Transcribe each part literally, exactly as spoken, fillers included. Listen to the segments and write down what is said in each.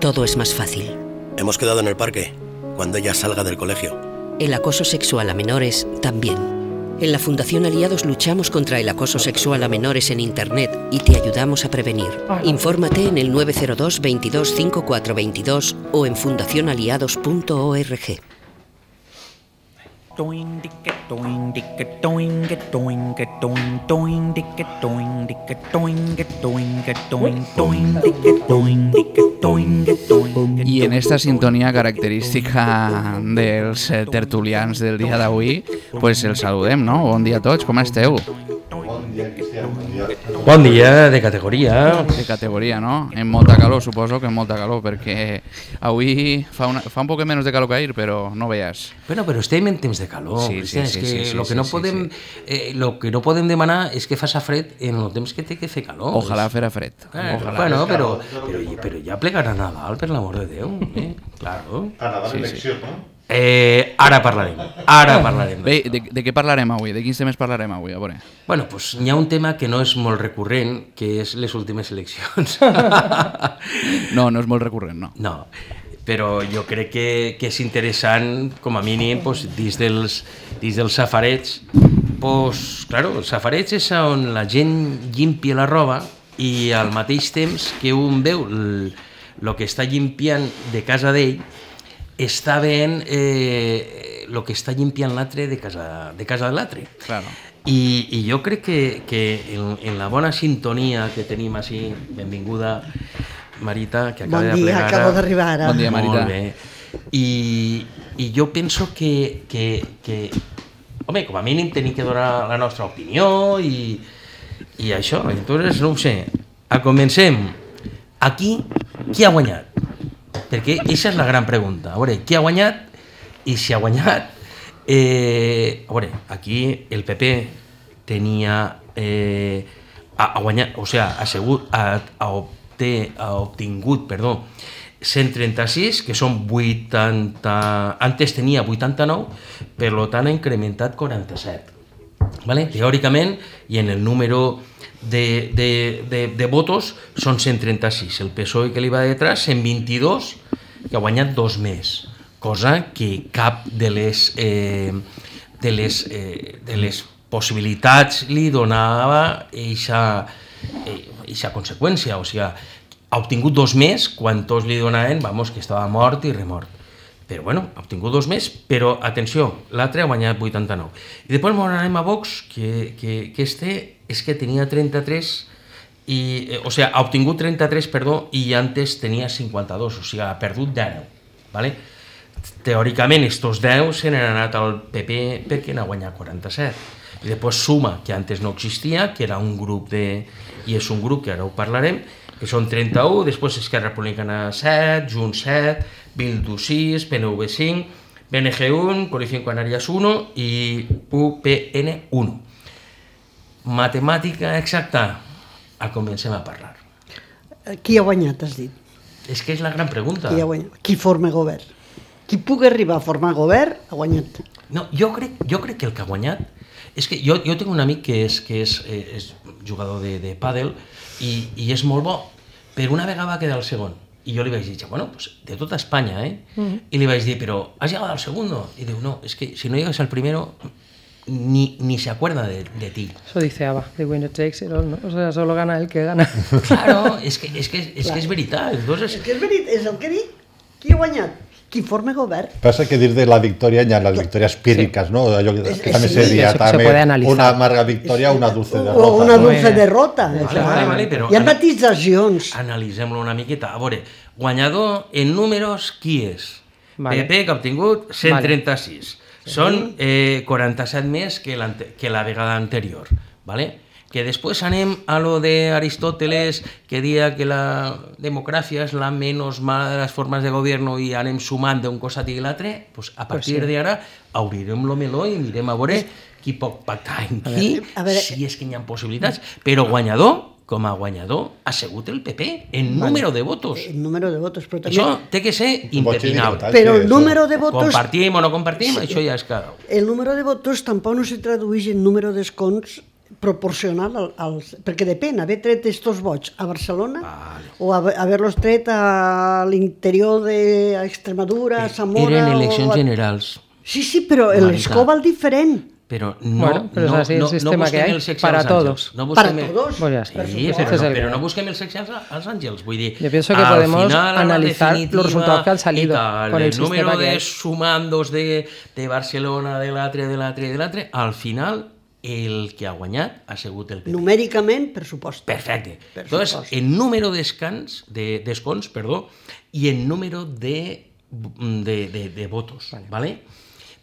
todo es más fácil. Hemos quedado en el parque, cuando ella salga del colegio. El acoso sexual a menores también. En la Fundación Aliados luchamos contra el acoso sexual a menores en Internet y te ayudamos a prevenir. Infórmate en el nueve cero dos, veintidós, cincuenta y cuatro veintidós o en fundación aliados punto org. I en esta sintonia característica dels tertulians del dia d'avui, pues el saludem, no? Bon dia a tots, com esteu? Bon dia, de categoria. De categoria, no? En molta calor, suposo que en molta calor, perquè avui fa, una, fa un poc menys de calor que ahir, però no veas. Bueno, però estem en temps de calor. Sí, sí, és sí, que sí, sí, lo que sí, no sí, podem, sí. Eh, lo que no podem demanar és que faça fred en el temps que té que fer calor. Ojalà fera fred. Eh, Ojalà. bueno, però, però, però ja plegarà Nadal, per l'amor de Déu. Eh? Claro. A Nadal Sí, sí. elecció, no? Eh, ara parlarem, ara parlarem. Bé, de, de què parlarem avui? De quins temes parlarem avui? A veure. Bueno, pues hi ha un tema que no és molt recurrent, que és les últimes eleccions. No, no és molt recurrent, no. No, però jo crec que, que és interessant, com a mínim, pues, dins, dels, dins dels safarets. Pues, claro, els safarets és on la gent llimpia la roba i al mateix temps que un veu el, el que està llimpiant de casa d'ell, està veient eh, el que està llimpiant l'altre de casa de, casa de l'altre. Claro. I, I jo crec que, que en, en la bona sintonia que tenim així, benvinguda Marita, que acaba bon de dia, plegar. acabo d'arribar ara. Bon dia, Marita. Molt bé. I, I jo penso que, que, que, home, com a mínim tenim que donar la nostra opinió i, i això. Entonces, no ho sé, a comencem. Aquí, qui ha guanyat? Perquè aquesta és la gran pregunta. A veure, qui ha guanyat i si ha guanyat? Eh, a veure, aquí el P P tenia... Eh, ha, ha guanyat, o sigui, ha, assegut, ha, ha, obté, ha obtingut, perdó, cent trenta-sis, que són vuitanta... Antes tenia vuitanta-nou, per tant ha incrementat quaranta-set. Vale? Teòricament, i en el número de, de, de, de votos són cent trenta-sis. El P S O E que li va detrás, cent vint-i-dos, que ha guanyat dos més, cosa que cap de les, eh, de les, eh, de les possibilitats li donava aquesta conseqüència. O sigui, ha obtingut dos més quan tots li donaven, vamos, que estava mort i remort. Però bueno, ha obtingut dos més, però atenció, l'altre ha guanyat vuitanta-nou. I després m'anem a Vox, que, que, que este és que tenia trenta-tres, i, eh, o sigui, ha obtingut trenta-tres, perdó, i antes tenia cinquanta-dos, o sigui, ha perdut deu. ¿Vale? Teòricament, estos deu se n'han anat al P P perquè n'ha guanyat quaranta-set. I després Suma, que antes no existia, que era un grup de... i és un grup que ara ho parlarem, que són trenta-u, després Esquerra Republicana set, Junts set, Bildu sis, P N V cinc, B N G un, Coalición Canarias un i U P N un. Matemàtica exacta, a comencem a parlar. Qui ha guanyat, has dit? És que és la gran pregunta. Qui ha guanyat? Qui forma govern? Qui pugui arribar a formar govern ha guanyat. No, jo crec, jo crec que el que ha guanyat és que jo, jo tinc un amic que és, que és, eh, és jugador de, de pàdel i, i és molt bo, però una vegada va quedar el segon. I jo li vaig dir, bueno, pues de tota Espanya, eh? Uh-huh. I li vaig dir, però has llegado al segundo? I diu, no, es que si no llegas al primero, ni, ni se acuerda de, de ti. Eso dice Ava, the winner takes it all, ¿no? O sea, solo gana el que gana. Claro, és que és, que, és, que és veritat. Entonces... És que és veritat, és el que dic. Qui ha guanyat? Qui forma govern. Pasa que dir de la victoria ya las victorias pírricas, sí. ¿no? Yo, que es, también sí, sería se, también se una amarga victoria o una dulce derrota. O una dulce Bueno. derrota. Vale, vale, vale, però Hi ha matitzacions. Analitzem-lo una miqueta. A veure, guanyador en números, qui és? Vale. P P, que ha obtingut cent trenta-sis. Vale. Són eh, quaranta-set més que, que la vegada anterior. Vale? Que després anem a lo de Aristóteles, que dia que la democràcia és la menys mala de les formes de govern i anem sumant d'un costat i l'altre, pues a partir pues sí. d'ara obrirem lo meló i mirem a veure qui pot pactar amb qui, a veure, si és que hi ha possibilitats. Però guanyador, com a guanyador, ha sigut el P P en vale. número de votos. En número de votos, però també... Això té que ser impepinable. Però el número de votos... Compartim o no compartim, sí. això ja és cada un. El número de votos tampoc no se tradueix en número d'escons proporcional al, als... Perquè depèn, haver tret estos vots a Barcelona Vale. o haver- haver-los tret a l'interior d'Extremadura, a Zamora... Eren eleccions o a... generals, Sí, sí, però Marta. l'escó val diferent. però no, Bueno, pero es no, así el no, no sistema que busquem hay, el sexe para als todos. àngels. No Para busquem el- todos. Pues ya está. Sí, Ese però, es no, el però que- no busquem el sexe als, als àngels, vull dir... Yo pienso que al podemos final, a la analizar los definitiva resultados que han salido i tal, con el el número sistema que de hay. sumandos de, de Barcelona, de l'altre, de l'altre, de l'altre, al final el que ha guanyat ha sigut el P P. Numèricament, per supost. Perfecte. Per Entonces, supost. en número d'escans, de, d'escons, perdó, i en número de, de, de, de votos, vale. ¿vale?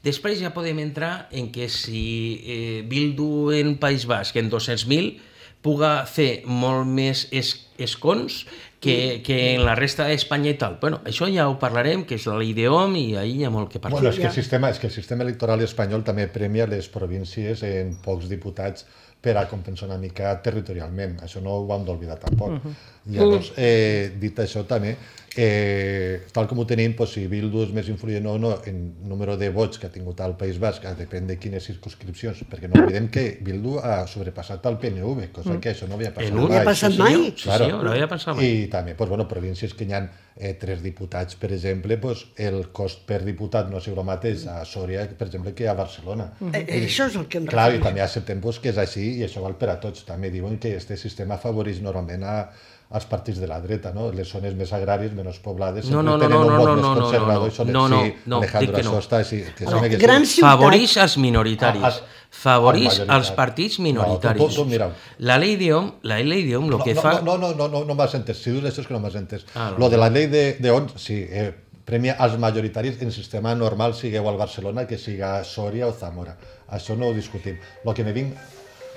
Després ja podem entrar en que si eh, Bildu en País Basc en dos-cents mil puga fer molt més es, escons que, que en la resta d'Espanya i tal. Bueno, això ja ho parlarem, que és la llei d'Hom i ahir hi ha molt que parlar. Bueno, és que, el sistema, és que el sistema electoral espanyol també premia les províncies en pocs diputats per a compensar una mica territorialment. Això no ho hem d'oblidar tampoc. Uh -huh. Llavors, eh, dit això també, eh, tal com ho tenim, doncs, si Bildu és més influent o no en número de vots que ha tingut al País Basc, depèn de quines circunscripcions, perquè no oblidem que Bildu ha sobrepassat el P N V, cosa que això no havia passat En No un- havia mai. passat sí, mai. senyor, sí, senyor, no havia passat mai. I també, doncs, bueno, províncies que hi ha eh, tres diputats, per exemple, doncs, el cost per diputat no és el mateix a Sòria, per exemple, que a Barcelona. Eh, eh, Això és el que em Clar, i refereixo. també acceptem pues, que és així i això val per a tots. També diuen que aquest sistema afavoreix normalment a, als partits de la dreta, no? Les zones més agràries, menys poblades, No, sempre no, no, tenen no, un no, vot no, més no, no, conservador no, i són no, no, sí, no, Alejandro, dic que no. això està així. Que No, sembla que grans sí. ciutats... Favoreix als minoritaris. Ah, ah, Favoreix als majoritaris. als partits No, minoritaris. tu- tu- tu mira. La llei d'Hom, la llei d'Hom, el No, que no, fa... no, no, no, no, no m'has entès. Si dius això és que no m'has entès. Ah, no. Lo de la llei de, de on, sí, eh, premia als majoritaris en sistema normal, sigueu al Barcelona, que siga a Sòria o Zamora. Això no ho discutim. Lo que me vinc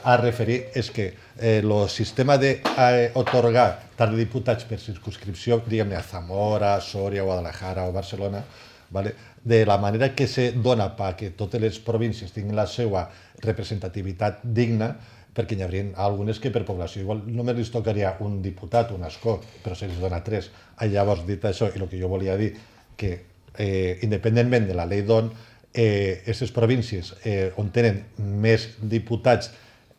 a referir és que el eh, sistema d'atorgar eh, tant de diputats per circunscripció, diguem-ne, a Zamora, Sòria, Guadalajara o Barcelona, vale? De la manera que se dona perquè totes les províncies tinguin la seva representativitat digna, perquè n'hi haurien algunes que per població igual només els tocaria un diputat, un escó, però se els dona tres. Ah, llavors, dit això, i el que jo volia dir, que eh, independentment de la llei d'on, eh, aquestes províncies eh, on tenen més diputats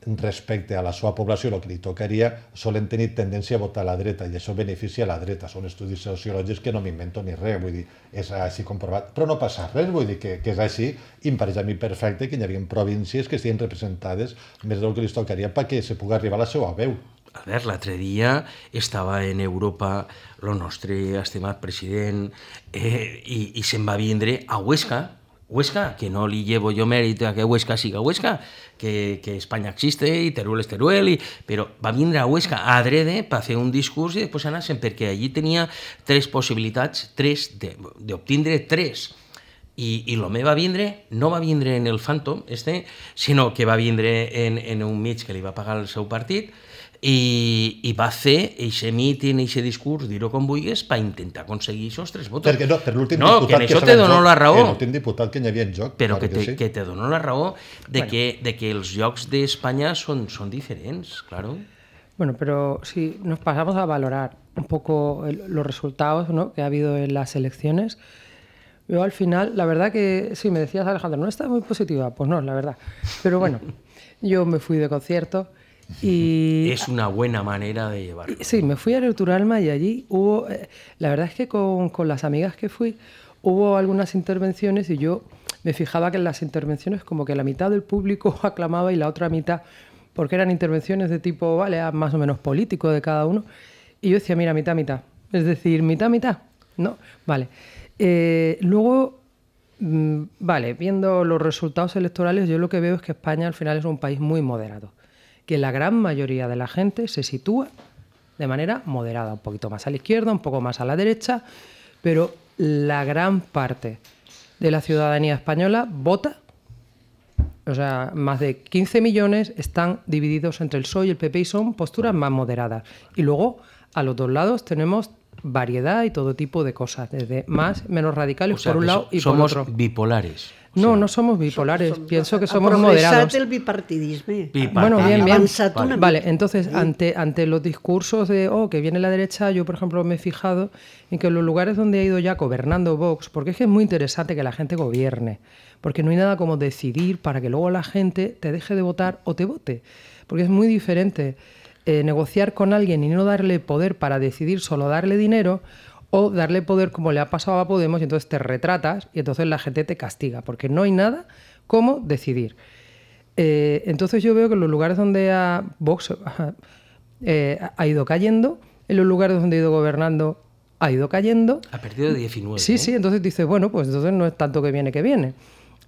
respecte a la seva població, el que li tocaria, solen tenir tendència a votar a la dreta, i això beneficia a la dreta. Són estudis sociològics que no m'invento ni res, vull dir, és així comprovat. Però no passa res, vull dir que, que és així, i em pareix a mi perfecte que hi havia províncies que estiguin representades més del que li tocaria perquè se pugui arribar a la seva veu. A veure, l'altre dia estava en Europa el nostre estimat president eh, i, i se'n va vindre a Huesca, Huesca, que no li llevo jo mèrit a que Huesca siga Huesca, que, que Espanya existe i Teruel és Teruel, i, però va vindre a Huesca a adrede per fer un discurs i després anar-se'n, perquè allí tenia tres possibilitats, tres, d'obtindre tres. I, i l'home va vindre, no va vindre en el Phantom, este, sinó que va vindre en, en un mig que li va pagar el seu partit, i, i va fer eixe míting, eixe discurs, dir-ho com vulguis, per intentar aconseguir aquests tres vots. Perquè no, per l'últim no, diputat que en això estava te en dono joc, la raó. l'últim diputat que hi havia en joc. Però clar que te, sí. que te dono la raó de, bueno. que, de que els llocs d'Espanya són, són diferents, claro. Bueno, pero si nos pasamos a valorar un poco el, los resultados, ¿no?, que ha habido en las elecciones, yo al final, la verdad que, sí, me decías, Alejandro, no estás muy positiva. Pues no, la verdad. Pero bueno, yo me fui de concierto y... Es una buena manera de llevarlo. Sí, me fui a Neutralma y allí hubo... Eh, la verdad es que con, con las amigas que fui, hubo algunas intervenciones y yo me fijaba que en las intervenciones como que la mitad del público aclamaba y la otra mitad, porque eran intervenciones de tipo, vale, más o menos político de cada uno, y yo decía, mira, mitad, mitad. Es decir, mitad, mitad. ¿No? Vale. Eh, luego, mmm, vale, viendo los resultados electorales, yo lo que veo es que España al final es un país muy moderado, que la gran mayoría de la gente se sitúa de manera moderada, un poquito más a la izquierda, un poco más a la derecha, pero la gran parte de la ciudadanía española vota, o sea, más de quince millones están divididos entre el P S O E y el P P y son posturas más moderadas. Y luego, a los dos lados tenemos variedad y todo tipo de cosas, desde más, menos radicales O sea, por un que lado so- y por somos otro. bipolares. O No, sea, no somos bipolares, Som- som- pienso que ha somos progressat moderados. el bipartidisme. Bipartidisme. Bueno, bien, bien. Avançat una mica. Vale, entonces, ante, ante los discursos de, oh, que viene la derecha, yo, por ejemplo, me he fijado en que en los lugares donde ha ido ya gobernando Vox, porque es que es muy interesante que la gente gobierne, porque no hay nada como decidir para que luego la gente te deje de votar o te vote. porque es muy diferente eh, negociar con alguien y no darle poder para decidir, solo darle dinero, o darle poder como le ha pasado a Podemos y entonces te retratas y entonces la gente te castiga, porque no hay nada como decidir. Eh, entonces yo veo que en los lugares donde ha, Vox eh, ha ido cayendo, en los lugares donde ha ido gobernando ha ido cayendo. Ha perdido de diecinueve. Sí, ¿eh? sí, entonces dices, bueno, pues entonces no es tanto que viene que viene.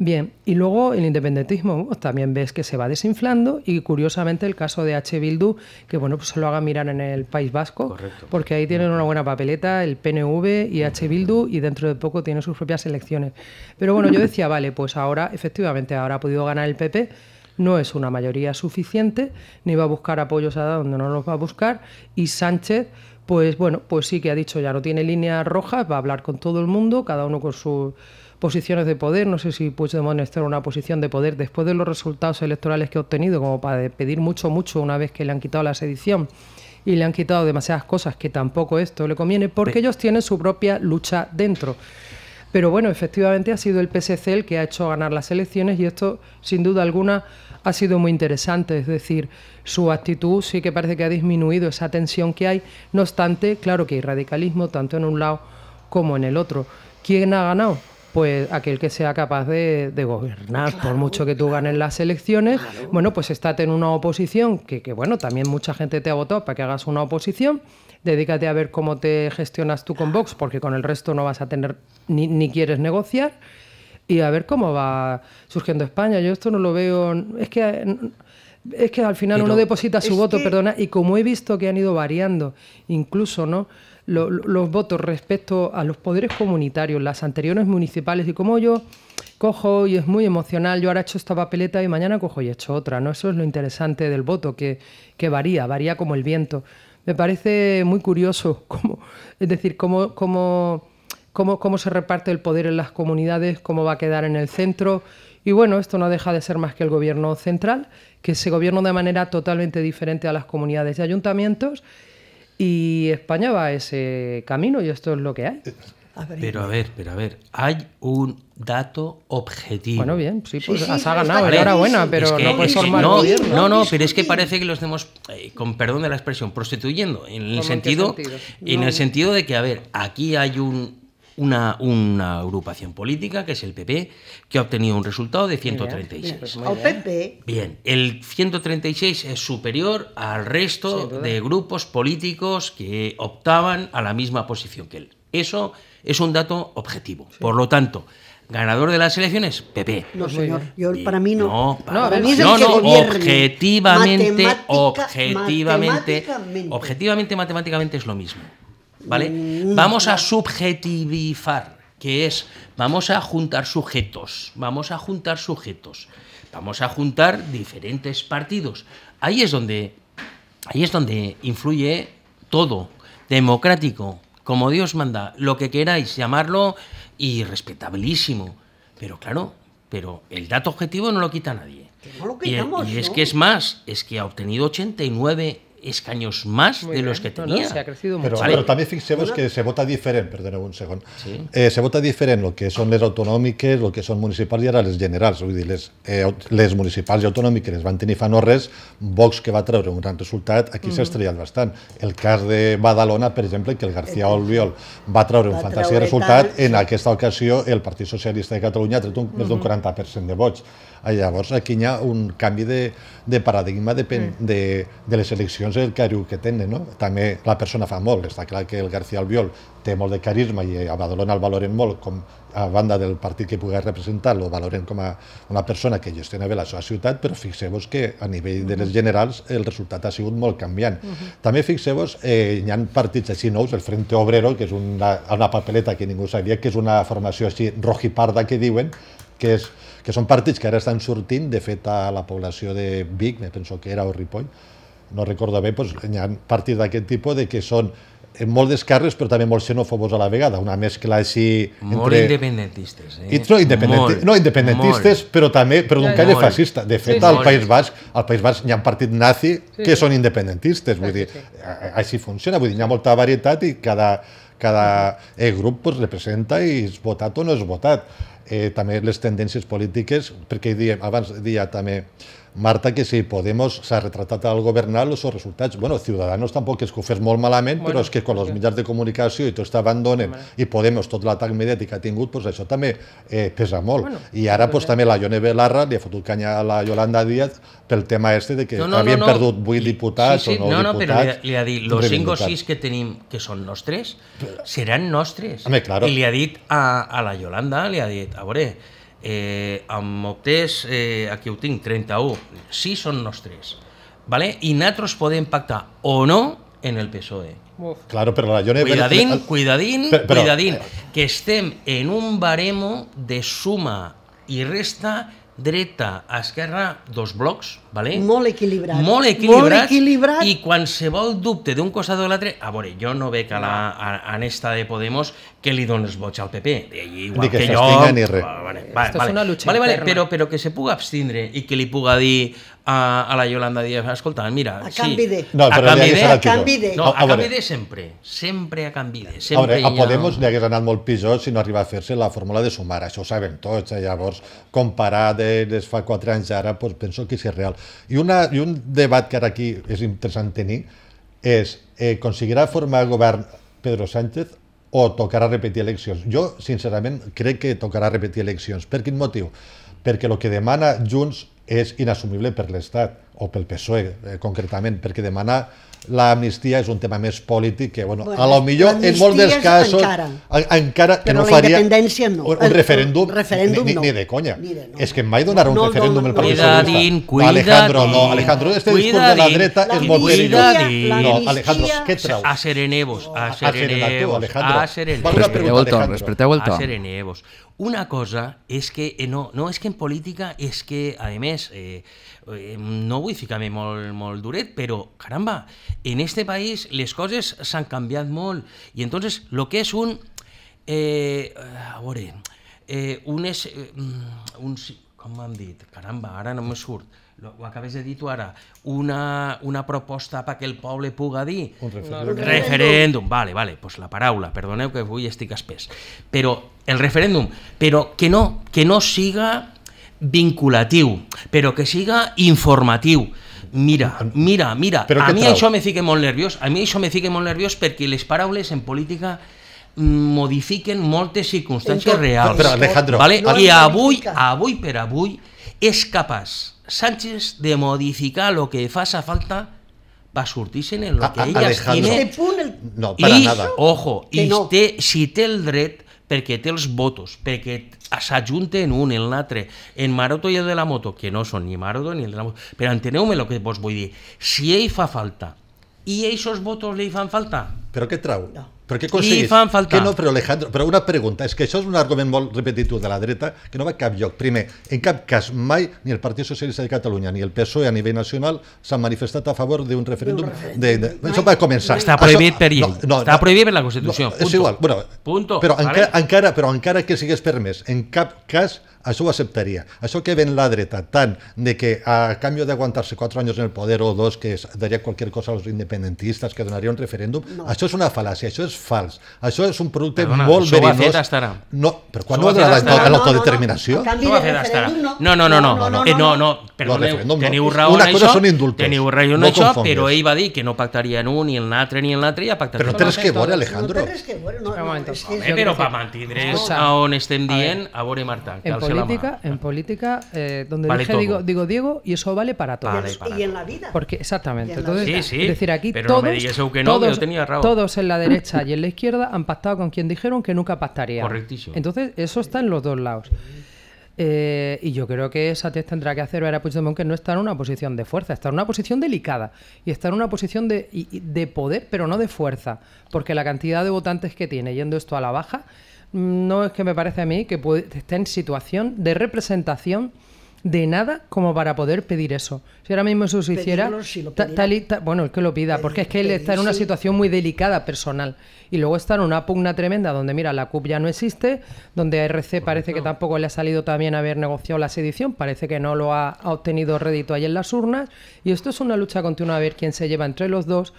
Bien, y luego el independentismo pues, también ves que se va desinflando y curiosamente el caso de H. Bildu, que bueno, pues se lo haga mirar en el País Vasco, Correcto. porque ahí tienen una buena papeleta, el P N V y H. Bildu, y dentro de poco tienen sus propias elecciones. Pero bueno, yo decía, vale, pues ahora, efectivamente, ahora ha podido ganar el P P, no es una mayoría suficiente, ni va a buscar apoyos a donde no los va a buscar, y Sánchez, pues bueno, pues sí que ha dicho, ya no tiene líneas rojas, va a hablar con todo el mundo, cada uno con sus posiciones de poder. No sé si Puigdemont está en una posición de poder después de los resultados electorales que ha obtenido, como para pedir mucho, mucho una vez que le han quitado la sedición y le han quitado demasiadas cosas que tampoco esto le conviene, porque Pe- ellos tienen su propia lucha dentro. Pero bueno, efectivamente ha sido el P S C el que ha hecho ganar las elecciones y esto, sin duda alguna, ha sido muy interesante. Es decir, su actitud sí que parece que ha disminuido esa tensión que hay. No obstante, claro que hay radicalismo tanto en un lado como en el otro. ¿Quién ha ganado? Pues aquel que sea capaz de, de gobernar, claro, por mucho que tú ganes las elecciones. Claro. Bueno, pues estate en una oposición, que, que bueno, también mucha gente te ha votado para que hagas una oposición. Dedícate a ver cómo te gestionas tú con Vox, porque con el resto no vas a tener, ni, ni quieres negociar, y a ver cómo va surgiendo España. Yo esto no lo veo, es que... Es que al final Pero uno deposita su voto, que... perdona, y como he visto que han ido variando, incluso, ¿no?, los, los votos respecto a los poderes comunitarios, las anteriores municipales, y como yo cojo y es muy emocional, yo ahora he hecho esta papeleta y mañana cojo y he hecho otra, ¿no? Eso es lo interesante del voto, que, que varía, varía como el viento. Me parece muy curioso, cómo, es decir, cómo, cómo, cómo, cómo se reparte el poder en las comunidades, cómo va a quedar en el centro. Y bueno, esto no deja de ser más que el gobierno central, que se gobierna de manera totalmente diferente a las comunidades y ayuntamientos, y España va a ese camino y esto es lo que hay. Pero a ver, pero a ver, hay un dato objetivo. Bueno, bien, sí, pues Sí, sí, has pero ganado, está enhorabuena, clarísimo. pero Es que- no puedes es que formar no, gobierno. no, no, No pero es que discutir. parece que lo estemos, eh, con perdón de la expresión, prostituyendo, en el ¿Cómo, en qué sentido, sentido? en No. el sentido de que, a ver, aquí hay un, una, una agrupación política, que es el P P, que ha obtenido un resultado de ciento treinta y seis. Pues muy Al bien. P P, Bien, el ciento treinta y seis es superior al resto Sin duda. de grupos políticos que optaban a la misma posición que él. Eso es un dato objetivo. Por lo tanto, ganador de las elecciones, P P. no Pues muy señor, bien. yo, Y- para mí no. No, No, a para ver, mí es el no, que no, gobierne. objetivamente, Matemática- objetivamente, matemáticamente. objetivamente, matemáticamente es lo mismo, ¿vale? Mm, Vamos a subjetivizar, que es, vamos a juntar sujetos, vamos a juntar sujetos, vamos a juntar diferentes partidos. Ahí es donde, ahí es donde influye todo, democrático, como Dios manda, lo que queráis llamarlo, y respetabilísimo. Pero claro, pero el dato objetivo no lo quita nadie. Que no lo Y- quitamos, y, es ¿no? que es más, es que ha obtenido ochenta y nueve escaños más Muy de los bien. que No, no, tenía. se ha crecido Però, mucho. Vale. però també fixeu-vos que se vota diferent, perdoneu un segon, Sí. eh, se vota diferent el que són les autonòmiques, el que són municipals i ara les generals, vull dir, les, eh, aut- les municipals i autonòmiques les van tenir fa no res, Vox que va treure un gran resultat, aquí s'ha estrellat bastant. El cas de Badalona, per exemple, que el García Albiol va treure un Va fantàstic treure resultat, tant, en sí. aquesta ocasió el Partit Socialista de Catalunya ha tret un, més d'un quaranta per cent de vots. Ah, llavors aquí hi ha un canvi de, de paradigma de, de, de les eleccions, el cariu que tenen, no? També la persona fa molt, està clar que el García Albiol té molt de carisma i a Badalona el valoren molt, com a banda del partit que pugui representar, lo valoren com a una persona que gestiona bé la seva ciutat, però fixeu-vos que a nivell de les generals el resultat ha sigut molt canviant. També fixeu-vos, eh, hi ha partits així nous, el Frente Obrero, que és una, una papeleta que ningú sabia, que és una formació així rojiparda que diuen, que, és, que són partits que ara estan sortint, de fet a la població de Vic, me penso que era, o Ripoll, no recordo bé, doncs, hi ha partits d'aquest tipus de que són eh, molt d'esquerres però també molt xenòfobos a la vegada, una mescla així Molt entre... independentistes, eh? I, no, independenti... Molt, no, independentistes, molt. però també però d'un Ja, caire molt. fascista. De fet, Sí, sí. al Molt. País Basc, al País Basc hi ha un partit nazi Sí, que sí. són independentistes, vull Sí, dir, sí, sí. a- així funciona, vull dir, hi ha molta varietat i cada, cada eh, grup pues, representa i és votat o no és votat. Eh, també les tendències polítiques, perquè diem, abans deia també Marta, que si Podemos s'ha retratat al governar els seus resultats. Bueno, Ciudadanos tampoc és que ho fes molt malament, bueno, però és que quan els mitjans de comunicació i tot està abandonen i Podemos tot l'atac mediàtic que ha tingut, pues això també eh, pesa molt. Bueno, I ara pues, també la Ione Belarra li ha fotut canya a la Yolanda Díaz pel tema este de que no, no, havien no, no. perdut vuit diputats sí, sí, o nou no, no, diputats. Però li ha, li ha dit, los cinc o sis que tenim, que són nostres, seran nostres. Home, claro. I li ha dit a, a la Yolanda, li ha dit, a veure, eh, amb optés, eh, aquí ho tinc, trenta-u, sí són nostres, ¿vale? I nosaltres podem pactar o no en el P S O E. Uf. Claro, però la Ione... Cuidadín, el... cuidadín, però, però... cuidadín, que estem en un baremo de suma i resta dreta a esquerra, dos blocs, ¿vale? Molt equilibrat. Molt equilibrats, Molt equilibrat. I qualsevol dubte d'un costat o l'altre, a veure, jo no veig a la a, a esta de Podemos que li dones vots al P P, igual ni que, que jo... Ni res. Vale, vale, vale, vale, vale, vale, però, però que se puga abstindre i que li puga dir a, a la Yolanda Díaz, escolta, mira... A canvi sí, de... No, a canvi de... A canvi de... No, a, a canvi de sempre, sempre a canvi de... Sempre a, veure, a Podemos li hagués anat molt pitjor si no arriba a fer-se la fórmula de sumar, això ho sabem tots, eh? Llavors, comparar de, des fa quatre anys ara, pues, penso que sí és real. I, una, I un debat que ara aquí és interessant tenir és, eh, aconseguirà formar govern Pedro Sánchez o tocarà repetir eleccions? Jo, sincerament, crec que tocarà repetir eleccions. Per quin motiu? Perquè el que demana Junts és inassumible per l'Estat, o pel P S O E, eh, concretament, perquè demanar l'amnistia és un tema més polític que, bueno, bueno a lo millor en molts dels casos encara, encara que no faria no. un, un referèndum, referèndum ni, no. ni de conya. Ni de, no. És que mai donarà un no, referèndum no, no, el Partit Socialista. Cuidadín, Alejandro, no, Alejandro, este discurs de la dreta és molt perillós. No, Alejandro, què trau? A serenevos, a serenevos, a serenevos. Respecteu el to, respecteu el to. A serenevos. Una cosa és que, eh, no, no és que en política, és que, a més, eh, eh, no vull ficar-me molt, molt duret, però, caramba, en este país les coses s'han canviat molt, i entonces, lo que és un, eh, a veure, eh, un és, eh, un, com m'han dit, caramba, ara no me surt, ho acabes de dir tu ara, una, una proposta perquè el poble puga dir un referèndum. Un referèndum, vale, vale, pues la paraula, perdoneu que avui estic espès, però el referèndum, però que no, que no siga vinculatiu, però que siga informatiu. Mira, mira, mira, a mi això me fica molt nerviós, a mi això me fica molt nerviós perquè les paraules en política modifiquen moltes circumstàncies reals. Però, Alejandro, vale? I avui, avui per avui, és capaç Sánchez de modificar lo que faça falta para sortir-se en lo que ellas tienen. No, para I, nada. Ojo, i no. té, si té el dret, perquè té els votos, perquè s'ajunten un en l'altre, en Maroto i el de la moto, que no són ni Maroto ni el de la moto, però enteneu-me el que vos vull dir. Si ell fa falta i aquests votos li fan falta... Però què trau? No. Per què aconseguís? I fan falta. Que no, però Alejandro, però una pregunta, és que això és un argument molt repetitiu de la dreta que no va a cap lloc. Primer, en cap cas mai ni el Partit Socialista de Catalunya ni el P S O E a nivell nacional s'han manifestat a favor d'un referèndum. De, de, això va començar. Està prohibit per llei. No, no, Està prohibit per la Constitució. No, és igual. Bueno, Punto. Però, vale? encara, encara, però encara que sigués permès, en cap cas això ho acceptaria. Això que ven la dreta, tant de que a canvi d'aguantar-se quatre anys en el poder o dos que daria qualsevol cosa als independentistes, que donaria un referèndum, no. Això és una fal·làcia, això és fals. Això és un producte Perdona, molt verinós. Això ho ha fet hasta ara. No, però quan no de l'autodeterminació? Això ho ha fet hasta ara. No, no, no, no, no, no, no, perdoneu, teniu raó en això, teniu raó en això, però ell va dir que no pactaria en un, ni en l'altre, ni en l'altre, i ha pactat. Però no tens que veure, Alejandro. Però per mantindre's on estem dient, a veure, Marta, que alce la mà. En política, eh, donde vale dije digo, digo Diego, y eso vale para todos. Vale, para y en la vida. Porque, exactamente. Entonces, sí, sí, es decir, aquí pero todos, no me digas que no, todos, que yo tenía razón. todos en la derecha y en la izquierda han pactado con quien dijeron que nunca pactarían. Correctísimo. Entonces, eso está en los dos lados. Eh, y yo creo que Sánchez tendrá que hacer ver a Puigdemont que no está en una posición de fuerza, está en una posición delicada y está en una posición de, de poder, pero no de fuerza, porque la cantidad de votantes que tiene yendo esto a la baja, no es que me parece a mí que puede, esté en situación de representación de nada como para poder pedir eso. Si ahora mismo eso se hiciera, si ta, tal y, ta, bueno, el que lo pida, pedir, porque es que él está en una sí. situación muy delicada personal y luego está en una pugna tremenda donde, mira, la C U P ya no existe, donde a R C parece que tampoco le ha salido también haber negociado la sedición, parece que no lo ha, ha obtenido rédito ahí en las urnas, y esto es una lucha continua a ver quién se lleva entre los dos,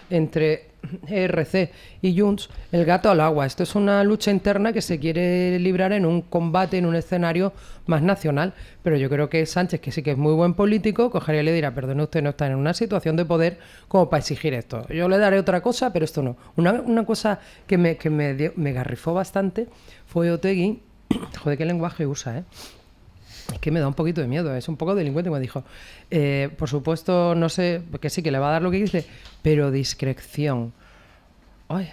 entre E R C y Junts, el gato al agua. Esto es una lucha interna que se quiere librar en un combate, en un escenario más nacional. Pero yo creo que Sánchez, que sí que es muy buen político, cogería y le dirá, perdone, usted no está en una situación de poder como para exigir esto. Yo le daré otra cosa, pero esto no. Una, una cosa que me, que me, dio, me garrifó bastante fue Otegi. Joder, qué lenguaje usa, ¿eh? Es que me da un poquito de miedo, es un poco delincuente. Me dijo, eh, por supuesto, no sé, que sí, que le va a dar lo que dice, pero discreción. Ay,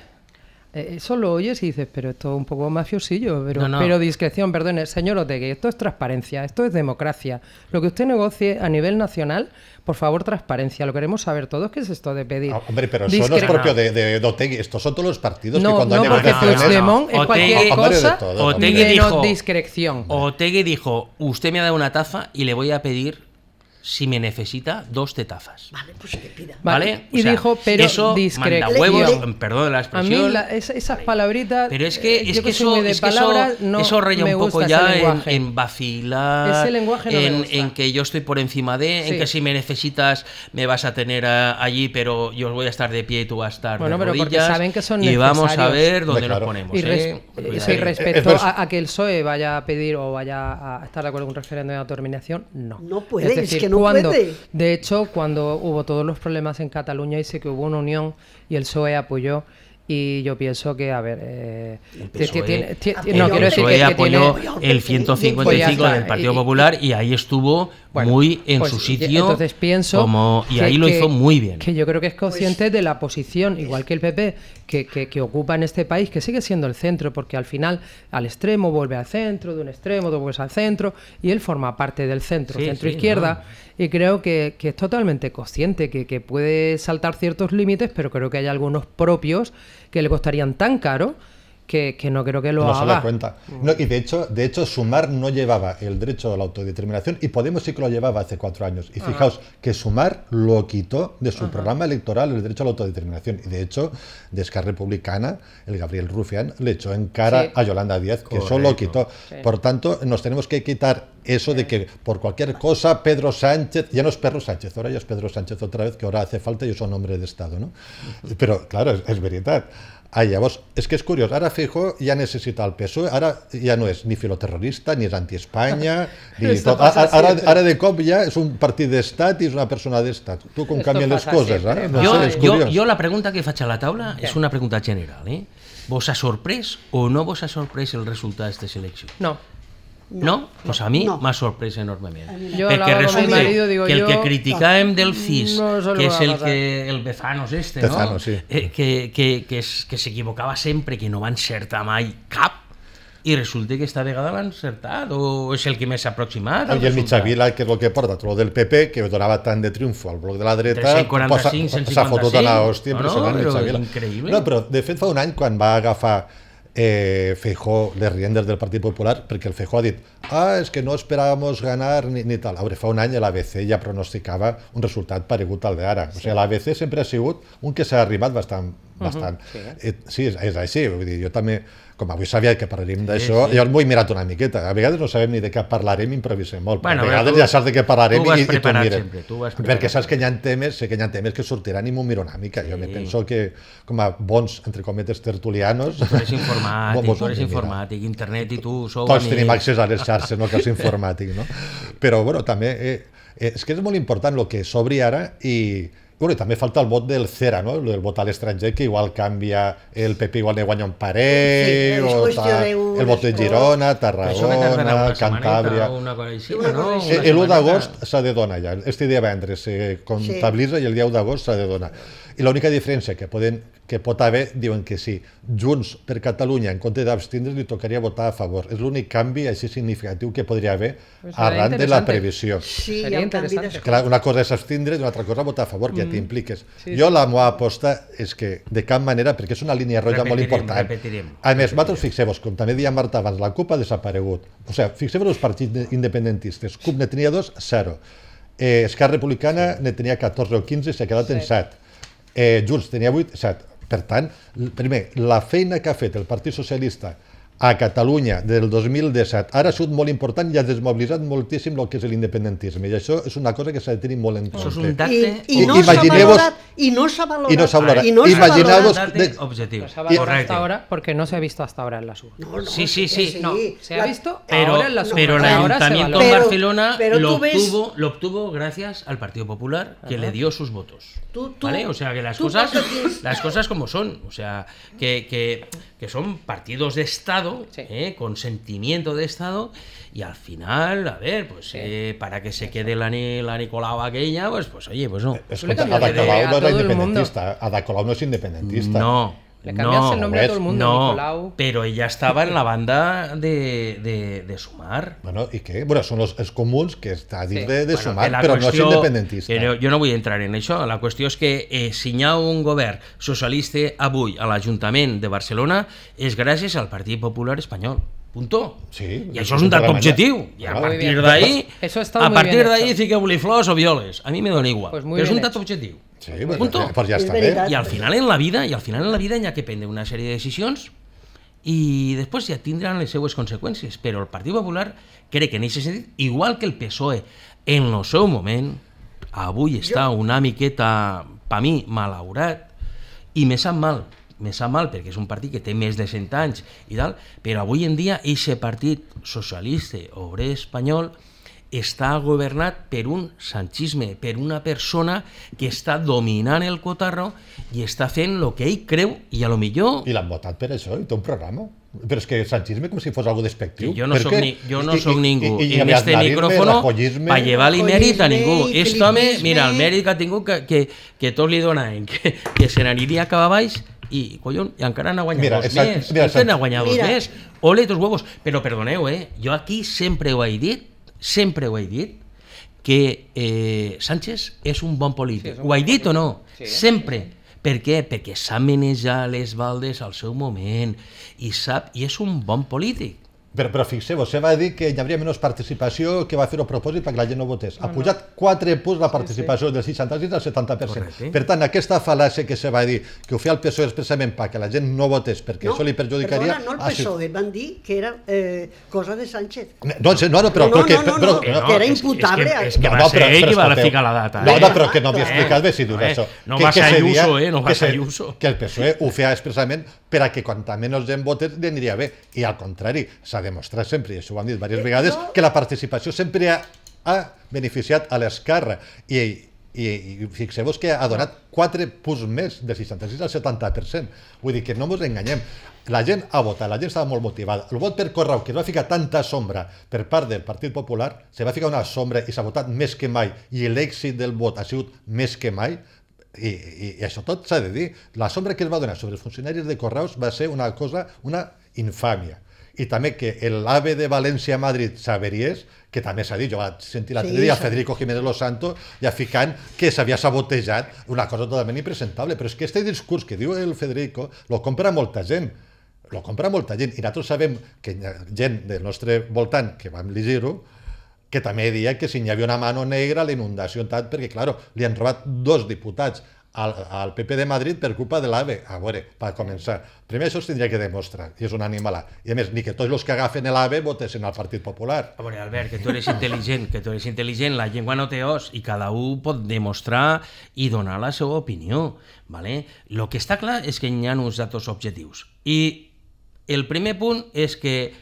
eh, eso lo oyes y dices, pero esto es un poco mafiosillo, pero, no, no. pero discreción, perdone, señor Otegi, esto es transparencia, esto es democracia. Lo que usted negocie a nivel nacional, por favor, transparencia, lo queremos saber todos. ¿Qué es esto de pedir? Oh, hombre, pero eso no es propio de, de, de Otegi, estos son todos los partidos no, que cuando no, hay porque Puigdemont es Otegi, cualquier cosa todo, Otegi dijo, discreción. Otegi dijo, usted me ha dado una taza y le voy a pedir, si me necesita, dos tetazas. Vale, pues que pida. ¿Vale? Vale. Y o sea, dijo, pero eso discreción. manda huevos, perdón la A expresión. mí la, es, esas palabritas, pero es que, eh, es yo que, que soy muy eso, de es que palabras, eso, no eso raya me un poco gusta ya ese en, lenguaje. en vacilar, Ese lenguaje no me en, gusta. en que yo estoy por encima de, Sí. en que si me necesitas me vas a tener a, allí, pero yo voy a estar de pie y tú vas a estar Bueno, de pero porque rodillas. saben que son y vamos a necesarios. ver dónde Claro. nos ponemos. Y, res- ¿eh? eh, Cuidado. sí, respecto Eh, eh, a, a que el P S O E vaya a pedir o vaya a estar de acuerdo con un referéndum de autodeterminación, no. No puede, es decir, que no cuando, puede. De hecho, cuando hubo todos los problemas en Cataluña y sé que hubo una unión y el P S O E apoyó, y yo pienso que, a ver, eh, El P S O E, tiene- tiene- el no, P quiero S O decir E que, que apoyó tiene... el ciento cincuenta y cinco Pues ya está. del Partido Y- Popular y ahí estuvo Bueno, muy en pues, su y- sitio. entonces pienso como, y que- ahí lo que- hizo muy bien. Que yo creo que es consciente de la posición, igual que el P P, que, que, que ocupa en este país, que sigue siendo el centro, porque al final al extremo vuelve al centro, de un extremo tú vuelves al centro, y él forma parte del centro, Sí, centro-izquierda, y creo que, que es totalmente consciente, que, que puede saltar ciertos límites, pero creo que hay algunos propios que le costarían tan caro que, que no creo que lo no se haga. da cuenta. No, y de hecho, de hecho, Sumar no llevaba el derecho a la autodeterminación y Podemos sí que lo llevaba hace cuatro años. Y fijaos que Sumar lo quitó de su programa electoral el derecho a la autodeterminación. Y de hecho, de Esquerra Republicana, el Gabriel Rufián le echó en cara Sí. a Yolanda Díaz, que eso Correcto. lo quitó. Sí. Por tanto, nos tenemos que quitar eso de que por cualquier cosa Pedro Sánchez, ya no es Pedro Sánchez, ahora ya es Pedro Sánchez otra vez, que ahora hace falta y es un hombre de Estado, ¿no? Però, claro, és, és veritat. Ah, llavors, és que és curiós, ara Feijóo ja necessita el P S O E, ara ja no és ni filoterrorista, ni és anti-Espanya, ni Esto tot. pasa Ara, ara, siempre. ara de cop ja és un partit d'estat i és una persona d'estat. Tu com Esto canvien les pasa coses, siempre. eh? No jo, sé, és jo, curiós. jo la pregunta que faig a la taula és una pregunta general. Eh? Vos ha sorprès o no vos ha sorprès el resultat d'aquestes eleccions? No. No? Pues a mi No. m'ha sorprès enormement. Yo Perquè hablaba con mi resulta marido, digo que el yo, que criticàvem del C I S, no se lo que va és a el pasar. que el Bezanos este, Bezanos, no? sí. Eh, que, que, que, es, que s'equivocava sempre, que no va encertar mai cap, i resulta que esta vegada l'ha encertat, o és el que més s'ha aproximat al I el resultat. Mitjavila, que és el que porta, tot el del P P, que donava tant de triomfo al bloc de la dreta, tres cents quaranta-cinc, cent s'ha fotut a la cinquanta-cinc. hòstia No, no, impressionant, però Mitjavila. increïble. No, però de fet fa un any, quan va agafar eh, Feijóo les riendes del Partit Popular, perquè el Feijóo ha dit ah, és que no esperàvamos ganar ni, ni tal. A veure, fa un any l'A B C ja pronosticava un resultat paregut al d'ara. O sigui, l'A B C sempre ha sigut un que s'ha arribat bastant. bastant. Uh -huh. sí, eh, sí és, és així. Vull dir, jo també, com avui sabia que parlarem d'això, sí. jo m'ho he mirat una miqueta. A vegades no sabem ni de què parlarem, improvisem molt. Bueno, a vegades tu- ja saps de què parlarem tu vas i, i tu preparat mires. sempre, tu vas preparat Perquè saps que hi ha temes, sé que hi ha temes que sortiran i m'ho miro una mica. Jo me Sí. penso que, com a bons, entre cometes, tertulianos... Tu eres informàtic, mos tu eres ho hem de mirar. informàtic, internet i tu sou Tots amics. tenim accés a les xarxes, no? Que és informàtic, no? Però, bueno, també... Eh, eh, és que és molt important el que s'obri ara i... Bueno, i també falta el vot del Cera, no? El vot a l'estranger, que igual canvia el P P, igual ne guanya un parell, Sí, és o qüestió ta, d'un el vot de escó. Girona, Però això que tardarà Tarragona, una Cantàbria... setmaneta, una cosa així, Una no? cosa així. Una Eh, l'u setmaneta. d'agost s'ha de donar ja, este divendres se comptabilitza i el dia u d'agost s'ha de donar. I l'única diferència que, poden, que pot haver, diuen que sí, Junts per Catalunya, en compte d'abstindre's, li tocaria votar a favor. És l'únic canvi així significatiu que podria haver Pues seria arran de la interessante. previsió. Sí, Seria hi ha un canvi interessante. d'escola. Clar, una cosa és abstindre's i una altra cosa votar a favor, que ja t'impliques. Sí, Jo la meva aposta és que de cap manera, perquè és una línia roja molt Repetirem, important. repetirem. A més, vosaltres fixeu-vos, com també deia Marta abans, la CUP ha desaparegut. O sigui, fixeu-vos els partits independentistes. CUP ne tenia dos, zero. Eh, Esquerra Republicana ne tenia catorze o quinze i s'ha quedat en set. Eh, Junts tenia vuit, set. Per tant, l- primer, la feina que ha fet el Partit Socialista a Catalunya del dos mil disset ara ha sigut molt important i ha desmobilitzat moltíssim el que és l'independentisme, i això és una cosa que s'ha de tenir molt en compte. Això és un dacte... I, i no s'ha valorat, i no s'ha valorat. I no s'ha valorat. I no s'ha Imagineu-vos... dacte objetivo. No se ha valorado Correcto. hasta ahora porque no se ha visto hasta ahora en la suba. No, no, Sí, sí, que sí. No, se ha visto Pero, ahora en la suba. pero el Ahora se Ayuntamiento valora. en Pero- Barcelona pero lo, tú ves- obtuvo, lo obtuvo gracias al Partido Popular, que le dio sus votos. Tú- tú- ¿Vale? O sea, que las tú cosas, porque tienes- las cosas como son. O sea, que, que, que son partidos de Estado, Sí. ¿eh? Con sentimiento de Estado, y al final, a ver, pues Sí. eh, para que se quede la, ni- la Nicolau aquella, pues, pues oye, pues no. Escolta, cambias Ada de- Colau a no era todo el independentista, Ada Colau no és independentista. No. Le cambias no, el nombre a todo el mundo, no, Nicolau. pero ella estaba en la banda de, de, de Sumar. Bueno, ¿y qué? Bueno, son los, els comuns que està dins Sí. de, de Bueno, sumar, que la però no és qüestió- independentista. que no- jo no vull entrar en això. La qüestió és que eh, si hi ha un govern socialista avui a l'Ajuntament de Barcelona és gràcies al Partit Popular Espanyol. Punto. Sí, I això és un dat totalment. objectiu. I a Muy partir bien. d'ahí, Eso está a muy partir bien d'ahí hecho. fiqueu-li flors o violes. A mi me dona igual. Pues muy Però és bien un dat hecho. objectiu. Sí, pues, Punto. pues ja És està bé. veritat. I al final en la vida, i al final en la vida hi ha que prendre una sèrie de decisions i després ja tindran les seues conseqüències, però el Partit Popular crec que en aquest sentit, igual que el P S O E en el seu moment, avui està una miqueta, per mi, malaurat, i me sap mal, me sap mal perquè és un partit que té més de cent anys i tal, però avui en dia aquest partit socialista obrer espanyol està governat per un sanchisme, per una persona que està dominant el cotarro i està fent el que ell creu i a lo millor... I l'han votat per això, i té un programa. Però és que el sanchisme com si fos algo despectiu. Que jo no Per soc, què? ni, jo no I- soc i- ningú i- i en este aznarisme, micrófono rajoyisme. para llevar-li mèrit a ningú. Rajoyisme, Este home, filipisme. mira, el mèrit que ha tingut que, que, que tots li donaven, que, que se n'aniria cap a baix i, collons, i encara n'ha guanyat Mira, dos exacte, més. mira, Este n'ha exacte. guanyat dos Mira. més. Ole tus huevos. Però perdoneu, eh? Jo aquí sempre ho he dit, sempre ho he dit, que eh, Sánchez és un bon polític. Sí, és un Ho he bon dit o no? polític. Sí. Sempre. Per què? Perquè sap manejar les baldes al seu moment i sap, i és un bon polític. Però, però fixeu-vos, se va dir que hi hauria menys participació, que va fer el propòsit perquè la gent no votés. Ha pujat quatre punts la participació del seixanta-sis al setanta per cent. Correcte. Per tant, aquesta fal·làcia que se va dir que ho feia el P S O E expressament perquè la gent no votés, perquè això li perjudicaria... Perdona, no el ha P S O E, sigut- van dir que era eh, cosa de Sánchez. No, no, no, però... No, però que, no, no, però, no, però, que era és- és imputable. que- és que No, va no, ser però- ell però qui va escolteu. ficar la data. No, eh? no, però que no havia Eh, explicat bé si dius eh, això. no que, va que ser se dia Ayuso, eh, no va que ser se- Ayuso. Que el P S O E ho feia expressament per a que quanta menys gent votés li aniria bé. I al contrari, s'ha demostrat sempre, i això ho han dit diverses vegades, que la participació sempre ha, ha beneficiat a l'esquerra. I, i, i fixeu-vos que ha donat quatre punts més, del seixanta-sis al setanta per cent. Vull dir que no ens enganyem. La gent ha votat, la gent estava molt motivada. El vot per correu, que es va ficar tanta sombra per part del Partit Popular, se va ficar una sombra i s'ha votat més que mai, i l'èxit del vot ha sigut més que mai, i, i, i això tot s'ha de dir. La sombra que es va donar sobre els funcionaris de correus va ser una cosa, una infàmia. I també que l'AVE de València a Madrid s'averiés, que també s'ha dit, jo vaig sentir l'altre Sí, dia a s'ha- Federico Jiménez Los Santos ja ficant que s'havia sabotejat, una cosa totalment impresentable. Però és que este discurs que diu el Federico lo compra molta gent, lo compra molta gent, i nosaltres sabem que hi ha gent del nostre voltant que vam llegir-ho, que també deia que si hi havia una mano negra a la inundació, tant, perquè, clar, li han robat dos diputats al, al P P de Madrid per culpa de l'AVE. A veure, per començar, primer això es tindria que demostrar, i és un animalà. I a més, ni que tots els que agafen l'AVE votessin al Partit Popular. A veure, Albert, que tu eres intel·ligent, que tu eres intel·ligent, la llengua no té os i cada un pot demostrar i donar la seva opinió, ¿vale? Lo que està clar és que hi ha uns datos objectius. I el primer punt és que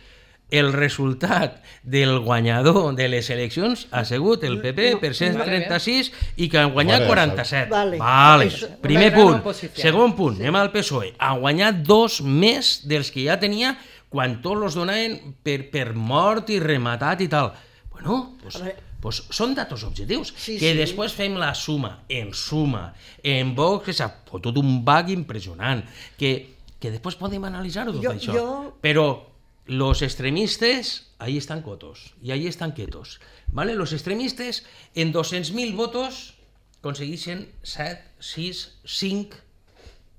el resultat del guanyador de les eleccions ha sigut el P P per cent trenta-sis i que han guanyat Vale, quaranta-set. vale. Vale. Eso- Primer una gran punt. oposició. Segon punt, anem al P S O E. Ha guanyat dos més dels que ja tenia quan tots los donaven per, per mort i rematat i tal. Bueno, pues, A veure. pues són datos objectius. Sí, que sí. després fem la suma, en suma, en Vox, que s'ha fotut un bug impressionant, que, que després podem analitzar-ho tot Jo- això. jo- Però los extremistes, ahí están cotos, y ahí están quietos. ¿Vale? Los extremistes, en doscientos mil votos, consegueixen set, sis, cinc...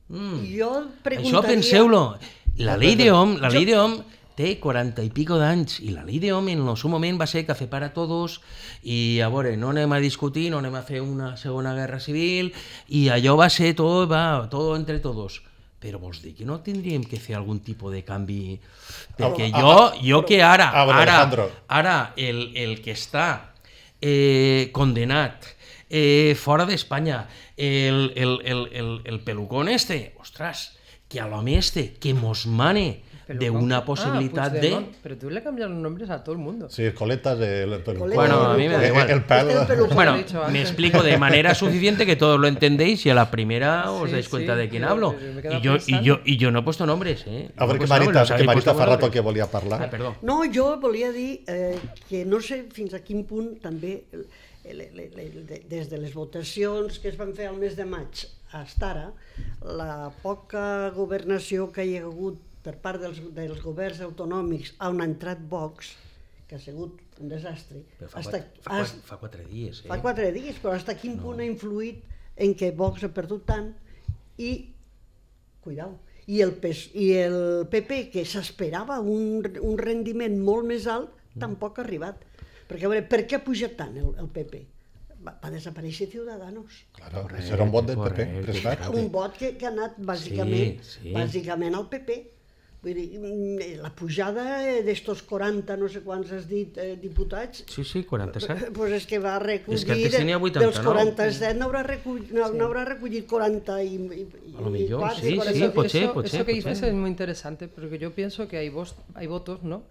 Mm. Jo preguntaria... Això penseu-lo. La llei d'Hom, la Jo- llei d'Hom té quaranta i pico d'anys, i la llei d'Hom en el seu moment va ser café para todos, i a veure, no anem a discutir, no anem a fer una segona guerra civil, i allò va ser tot, va, tot entre todos. però vols dir que no tindríem que fer algun tipus de canvi? Perquè jo, jo que ara, ara, ara el, el que està eh, condenat eh, fora d'Espanya, el, el, el, el, el pelucón este, ostres, que a l'home este, que mos mane de una posibilidad ah, de... Pero tú le cambias los nombres a todo el mundo. Sí, coletas de... Pelucón. Bueno, a mí me da igual. El, el pelo. Bueno, me explico de manera suficiente que todos lo entendéis y a la primera os sí, dais cuenta sí, de quién hablo. Y yo, y, yo, y yo no he puesto nombres, ¿eh? A ver, no que Marita, nombres, que Marita fa rato que volia parlar. Ah, perdó. No, jo volia dir eh, que no sé fins a quin punt també, el, el, el, el, des de les votacions que es van fer al mes de maig fins ara, la poca governació que hi ha hagut per part dels, dels governs autonòmics on ha entrat Vox, que ha sigut un desastre. Però fa, hasta, quatre, fa, hasta, fa quatre dies, eh? Fa quatre dies, però fins a quin no. punt ha influït en què Vox ha perdut tant i, cuidao, i el, i el P P, que s'esperava un, un rendiment molt més alt, tampoc ha arribat. Perquè, a veure, per què ha pujat tant el, el P P? Va, va desaparèixer Ciudadanos. Claro, correcte, era un vot del P P. Correcte. Un vot que, que ha anat bàsicament, sí, sí. bàsicament al P P. Vull dir, la pujada d'estos quaranta, no sé quants has dit, eh, diputats... Sí, sí, quaranta-set. Pues és que va recollir... És que antes tenia vuitanta-nou. Dels quaranta-set n'haurà recollit, no, sí. recollit quaranta i, i, a lo millor, quatre, sí, quaranta. sí, pot ser, eso, pot ser. Eso que dices es muy interesante, porque yo pienso que hay, vos, hay votos, ¿no?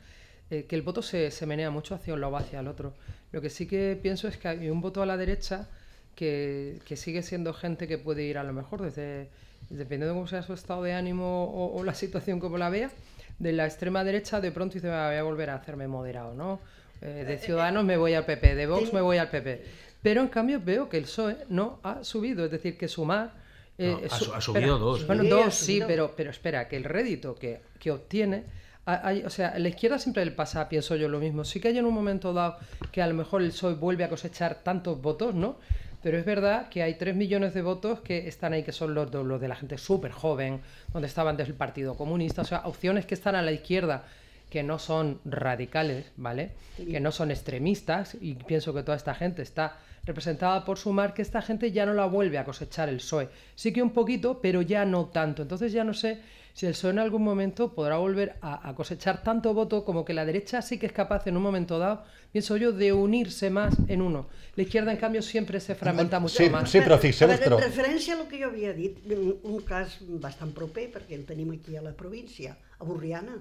Eh, que el voto se, se menea mucho hacia un lado o hacia el otro. Lo que sí que pienso es que hay un voto a la derecha que, que sigue siendo gente que puede ir a lo mejor desde... dependiendo de cómo sea su estado de ánimo o, o la situación como la vea, de la extrema derecha de pronto dice, voy a volver a hacerme moderado, ¿no? Eh, de Ciudadanos me voy al P P, de Vox me voy al P P. Pero en cambio veo que el P S O E no ha subido, es decir, que Sumar... Eh, no, ha, su, ha subido espera, dos. Bueno, sí, dos sí, subido. pero, pero espera, que el rédito que, que obtiene... Hay, o sea, a la izquierda siempre le pasa, pienso yo, lo mismo. Sí que hay en un momento dado que a lo mejor el P S O E vuelve a cosechar tantos votos, ¿no? Pero es verdad que hay tres millones de votos que están ahí, que son los de, los de la gente súper joven, donde estaban desde el Partido Comunista, o sea, opciones que están a la izquierda, que no son radicales, ¿vale? Que no son extremistas, y pienso que toda esta gente está representada por Sumar, que esta gente ya no la vuelve a cosechar el P S O E. Sí que un poquito, pero ya no tanto. Entonces ya no sé si el P S O E en algún momento podrá volver a, a cosechar tanto voto como que la derecha sí que es capaz en un momento dado, pienso yo, de unirse más en uno. La izquierda, en cambio, siempre se fragmenta mucho sí, más. Sí, però fixeu-vos, però... però... En referència a lo que jo havia dit, un cas bastant proper, perquè el tenim aquí a la província, a Borriana.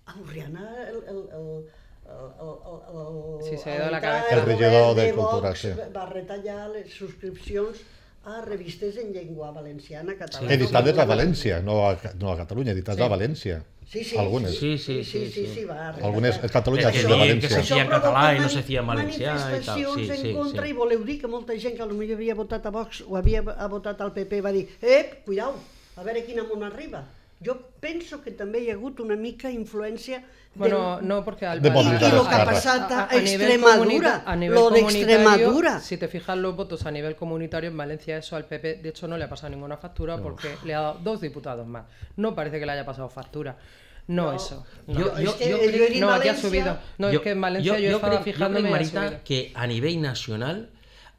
A Borriana, el... el, el... El, el, el, el, sí, se ha ido la cabeza. El regidor de, de Cultura, sí. Va retallar les subscripcions a revistes en llengua valenciana, catalana... Sí. Editades a València, no a, no a Catalunya, editades sí. a València. Sí, sí, algunes. Sí, sí, sí, sí, sí, sí, va algunes, a Catalunya sí, de València. Que se feia en català i no se feia en valencià i tal. Manifestacions sí, sí, en contra sí. i voleu dir que molta gent que potser havia votat a Vox o havia votat al P P va dir ep, cuidao, a veure quin amunt arriba. Jo penso que també hi ha hagut una mica influència bueno, no, porque al de y, y lo que ha pasado a, a, a Extremadura, a nivel lo de Extremadura. Si te fijas los votos a nivel comunitario en Valencia, eso al P P, de hecho no le ha pasado ninguna factura no. porque le ha dado dos diputados más. No parece que le haya pasado factura. No, no eso. No, yo, yo, es que yo, yo no aquí ha subido. No, yo, es que en Valencia yo, yo, yo estaba fijándome jo crec, Marita, que a nivell nacional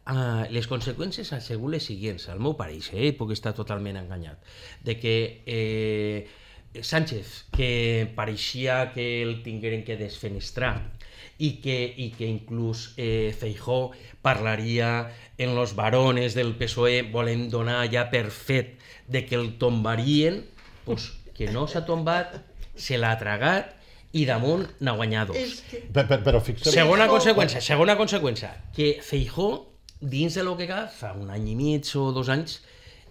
uh, les conseqüències han sigut les següents, al meu pareix, eh, puc estar totalment enganyat, de que eh, Sánchez, que pareixia que el tingueren que desfenestrar i que, i que inclús eh, Feijóo parlaria en los varones del P S O E, volem donar ja per fet de que el tombarien, pues, que no s'ha tombat, se l'ha tragat i damunt n'ha guanyat dos. Que... Però, però fixeu... Segona conseqüència, segona conseqüència, que Feijóo, dins de lo que cal, fa un any i mig o dos anys,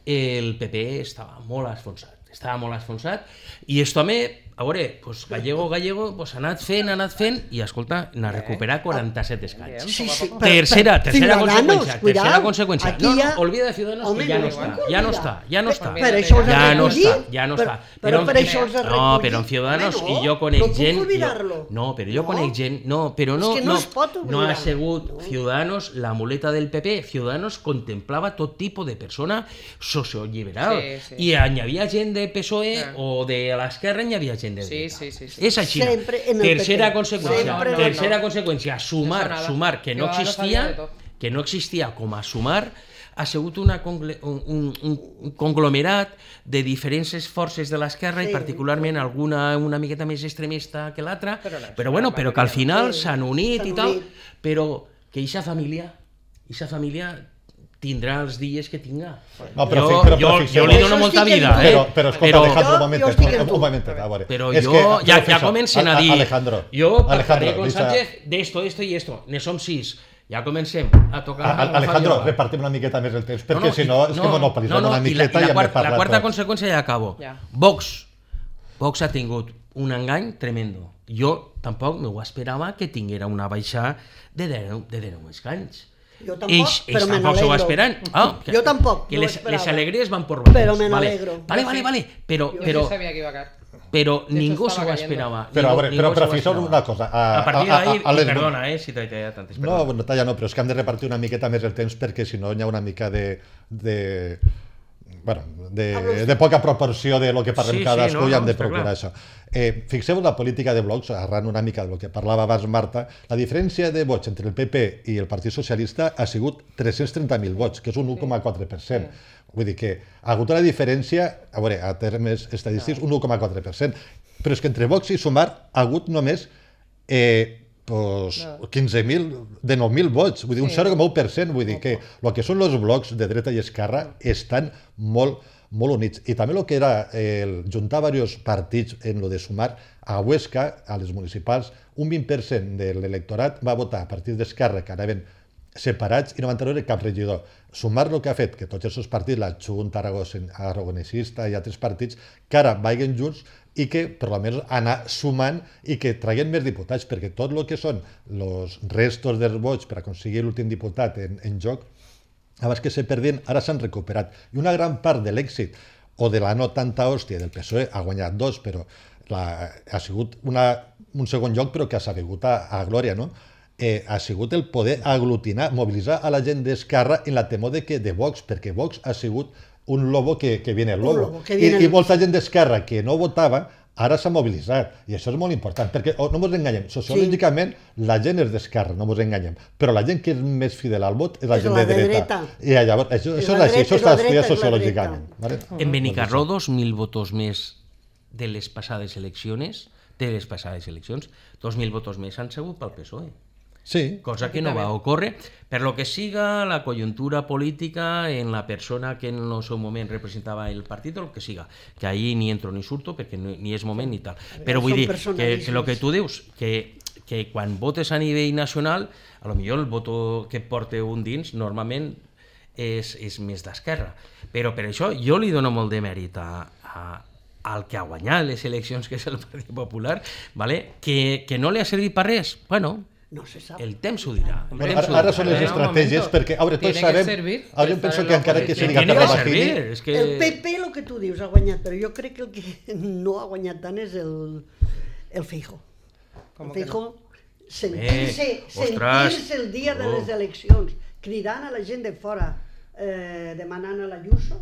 el P P estava molt esfonsat. Estava molt esfonsat, i esto també, a veure, pues, gallego, gallego, pues, ha anat fent, ha anat fent, i escolta, n'ha recuperat quaranta-set escans. Sí, sí, tercera, tercera conseqüència, tercera conseqüència. No, no, olvida de Ciudadanos, home, que ja no està, ja no està, ja no està. Per això els ja ha no recollit. està, ja no està. Però per això els ha recollit. No, però en Ciudadanos, i jo conec gent... No, no, però jo conec gent... No, però no, no, no ha sigut Ciudadanos la muleta del P P. Ciudadanos contemplava tot tipus de persona socioliberal. I hi havia gent de P S O E o de l'esquerra, hi havia gent de dreta. Sí, sí, sí. És així. Tercera conseqüència, tercera conseqüència, sumar, sumar, que no existia, que no existia com a sumar ha sigut una congle- un, un, un conglomerat de diferents forces de l'esquerra Sí. i particularment alguna una miqueta més extremista que l'altra, Però la- però, bueno, però que al final Sí, s'han unit s'han i tal, unit. però que eixa família, eixa família tindrà els dies que tinga. No, però, jo, però, jo, però, jo li Això dono molta estic en vida, tu. eh? Però, però escolta, Però- Alejandro, un Jo- momentet, jo estic en un, tu. un momentet, a veure. Però És jo que, ja, ja professor, comencen a a- a- dir Alejandro, jo Alejandro, pactaré con deixa- Sánchez d'esto, esto i esto. Ne som sis. Ja comencem a tocar... A- a- la Alejandro, fabiola. repartim una miqueta més el temps, perquè si i- no, és que monopolitzem no, no, una i la- miqueta i i, la, hem de quarta, parlar la quarta tots. conseqüència ja acabo. Ja. Vox. Vox ha tingut un engany tremendo. Jo tampoc m'ho esperava que tinguera una baixada de deu, de deu escanys. Jo tampoc, Ells, però ells me tampoc s'ho n'alegro. esperen. Ah, que, Jo tampoc, Que no ho les, esperava. les alegries van por bandes. Però me vale. n'alegro. Vale, vale, vale. Però, Yo però, sí sabía que iba a caer. però De ningú hecho, s'ho estaba cayendo. esperava. Però, a Ningú- veure, ningú però, s'ho però fixeu esperava. una cosa. A, A partir a- a- d'ahir, a les- perdona, eh, si t'he tallat tantes, No, perdona. bueno, talla no, però és que hem de repartir una miqueta més el temps perquè si no hi ha una mica de... de bueno, de, de poca proporció de lo que parlem Sí, sí, cadascú no, i hem no, de està procurar clar. això. Eh, fixeu la política de blocs, arran una mica del que parlava abans Marta, la diferència de vots entre el P P i el Partit Socialista ha sigut tres-cents trenta mil vots, que és un u coma quatre per cent. Vull dir que ha hagut una diferència, a veure, a termes estadístics, un u coma quatre per cent. Però és que entre Vox i Sumar ha hagut només eh, pues, quinze mil, de nou mil vots, vull dir, un zero coma u per cent, vull dir que el que són els blocs de dreta i esquerra estan molt, molt units. I també el que era el juntar diversos partits en lo de Sumar, a Huesca, a les municipals, un vint per cent de l'electorat va votar a partits d'esquerra que anaven separats i no van treure cap regidor. Sumar el que ha fet que tots aquests partits, la Junta Aragonesista i altres partits, que ara vagin junts i que per almenys anar sumant i que traguin més diputats, perquè tot el que són els restos dels vots per aconseguir l'últim diputat en, en joc, abans que se perdien, ara s'han recuperat. I una gran part de l'èxit, o de la no tanta hòstia del P S O E, ha guanyat dos, però la, ha sigut una, un segon lloc, però que ha sabut a, a glòria, no? Eh, ha sigut el poder aglutinar, mobilitzar a la gent d'Esquerra en la temor de, que, de Vox, perquè Vox ha sigut un lobo que, que viene el lobo. lobo que viene I, el- I molta gent d'Esquerra que no votava ara s'ha mobilitzat, i això és molt important, perquè oh, no ens enganyem, sociològicament sí. La gent és d'esquerra, no ens enganyem, però la gent que és més fidel al vot és la És gent la de de dreta. dreta. I llavors, això, És això és la així, dreta, això és la està estudiat dreta, és la sociològicament. Vale? En Benicarló, dos mil votos més de les passades eleccions, de les passades eleccions, dos mil votos més han sigut pel P S O E. Sí. Cosa que no va ocórrer per lo que siga la coyuntura política en la persona que en el seu moment representava el partit o el que siga, que ahí ni entro ni surto perquè no, ni és moment ni tal. Però vull Són dir que, que el que tu dius, que, que quan votes a nivell nacional, a lo millor el voto que porta un dins normalment és, és més d'esquerra. Però per això jo li dono molt de mèrit a, a, al que ha guanyat les eleccions, que és el Partit Popular, vale? que, que no li ha servit per res. Bueno, No se sap. el temps ho dirà. El Bueno, temps ara, ho ara dirà. són les Espera un estratègies, momento. perquè, a veure, tots Tiene que sabem, servir ara jo estar penso en que la encara que oposició. sigui Tiene que Carvajini, servir, és que... El P P, el que tu dius, ha guanyat, però jo crec que el que no ha guanyat tant és el, el Feijóo. El Feijóo, sentir-se Eh, ostres. sentir el dia de Oh. les eleccions, cridant a la gent de fora, eh, demanant a l'Ayuso.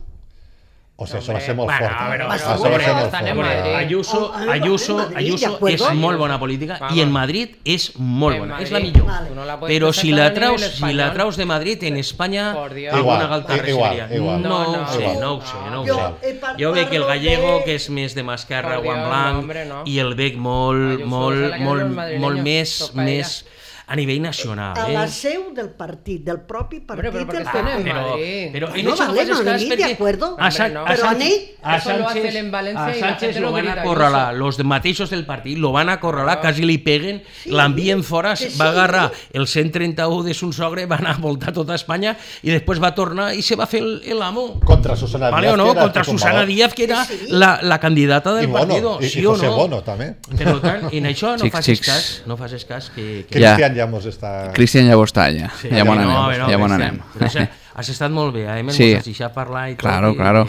o sigui, això va ser molt Bueno, fort. a veure, eh? va Això ser va ser molt molt Estan en fort. Madrid. Ayuso, Oh, en Ayuso, Madrid, ¿de Ayuso acuerdo? és molt bona política Vamos. i en Madrid és molt En bona, és Madrid. la millor. Vale. Tú no la puedes Però si presentar la a nivel traus, si español. la traus de Madrid en Espanya, Por Dios. alguna Igual, galta i- igual, recibiria. igual. No, No, ho no. sé, no ho sé, no ho Jo sé. he par- Jo veig que el parlo gallego, de- que és més de Mascarra, Por Juan Dios, Blanc, no, hombre, no. i el bec molt, Ayuso, molt, se la quedan molt, los madrileños, molt més, toca més a nivell nacional. A Eh? la seu del partit, del propi partit Hombre, pero porque del están en P P. Però, Madrid. però Bueno, en eso no vale, faces no, cas ni de perquè acuerdo. a, Sa- Hombre, no. a Però Sánchez, ni- a Eso lo hace Sánchez, él en Valencia a y la Sánchez gente lo lo van a grita, acorralar, Ayuso. los mateixos del partit lo van a acorralar, quasi li peguen, l'envien fora, que sí. va agarrar el cent trenta-u de son sogre, va anar a voltar tota Espanya i després va tornar i se va fer el, el amo. Contra Susana Vale Díaz, o no? que era Contra tumbador. Susana Díaz, que era Sí. la, la candidata del I Bono, partido, i, sí i o José no? Bono, també. Per tant, en això no Xics, facis xics. cas, no facis cas que... que... Ja. Cristian ja mos està... Cristian ja ho està, ja. Sí, ja m'on no, anem, no, ja m'on Cristian, anem. però, o sea, has estat molt bé, eh? Me'n Sí. has deixat parlar i tot. Claro, i- claro.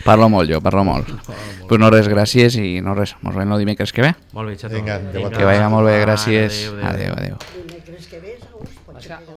Parlo molt jo, parlo molt. Pues no res, gràcies i no res. Mos veiem el dimecres que ve. Molt bé, xato. Vinga, adéu a Que vaya molt bé, gràcies. Adéu, adéu. Adéu, adéu. Dimecres que ve, segons, pot ser que